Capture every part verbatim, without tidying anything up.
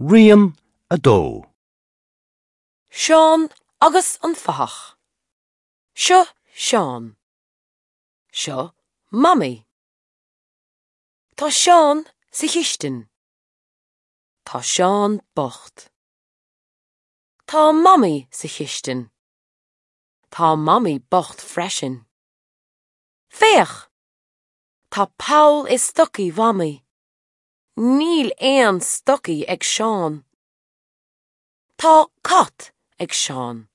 Rian a dó. Seán agus an fathach. Seo Seán. Seo Mamaí. Tá Seán sa chistin. Tá Seán bocht. Tá Mamaí sa chistin. Tá Mamaí bocht freisin. Féach! Tá poll i stocaí Mhamaí. Níl aon stocaí ag Seán. Tá cat ag Seán.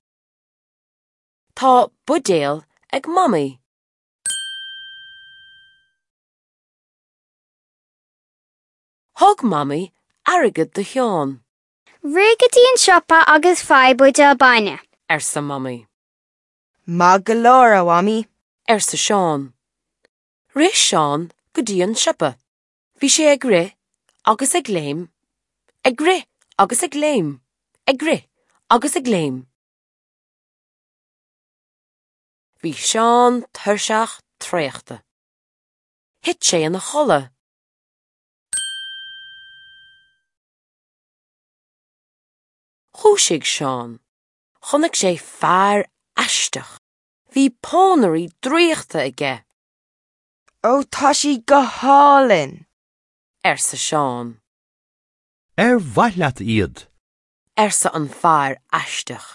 Tá buidéal ag Mamaí. Thug Mamaí airgead do Sheán. Rith go dtí an siopa agus faigh buidéal bainne. arsa Mamaí. Maith go leor, a Mhamaí. arsa Seán. Rith Seán go dtí an siopa. Bhí sé ag rith agus ag léim, ag rith agus ag léim, ag rith agus ag léim. Bhí Seán tuirseach traochta. Thit sé ina chodladh. Dhúisigh Seán. Chonaic sé fear aisteach. Bhí pónairí draíochta aige, Ó tá siad go hálainn. arsa Seán. Ar mhaith leat iad. arsa an fear aisteach,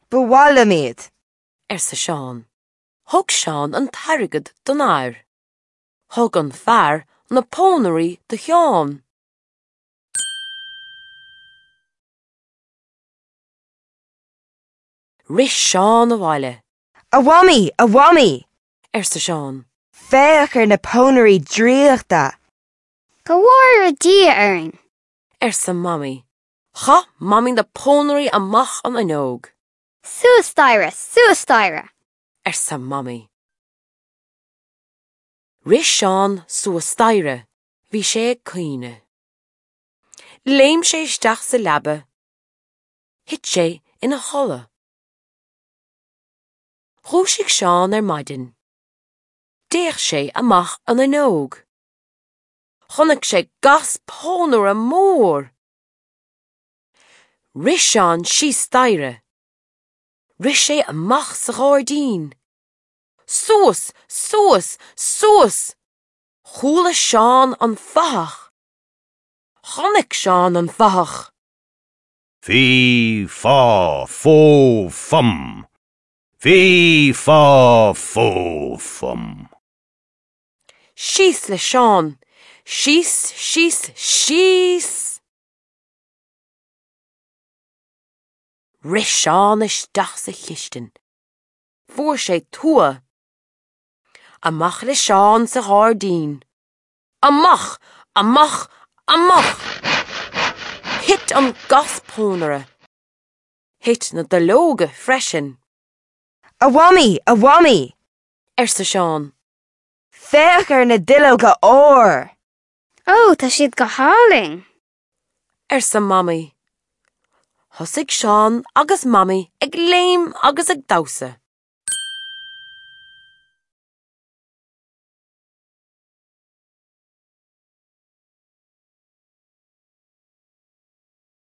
Ba mhaith liom iad. arsa Seán. Thug Seán an t-airgead don fhear. Thug an fear na pónairí do Sheán. Rith Seán abhaile, A Mhamaí, a Mhamaí! arsa Seán. Féach ar na pónairí draíochta. Go bhfóire Dia orainn. arsa Mamaí. Chaith Mamaí na pónairí amach an fhuinneog, Suas staighre, suas staighre. arsa Mamaí. Rith Seán suas staighre, bhí sé ag caoineadh. Léim sé isteach sa leaba. Thit sé ina chodladh. Dhúisigh Seán ar maidin. D'fhéach sé amach an fhuinneog. Chonaic sé gas pónaire mór. Rith Seán síos staighre. Rith sé amach sa ghairdín. Suas, suas, suas! Chuala Seán an fathach. Chonaic Seán an fathach. Fí fá fó fum. Fí fá fó fum. Síos le Seán. Síos, síos, síos! Rith Seán isteach sa chistin. Fuair sé tua. Amach le Seán sa ghairdín. Amach, amach, amach! Thit an gas pónaire. Thit na duilleoga freisin, A Mhamaí, a Mhamaí! arsa Seán. Féach ar na duilleoga óir. Ó, tá siad go hálainn. arsa Mamaí. Thosaigh Seán agus Mamaí ag léim agus ag damhsa.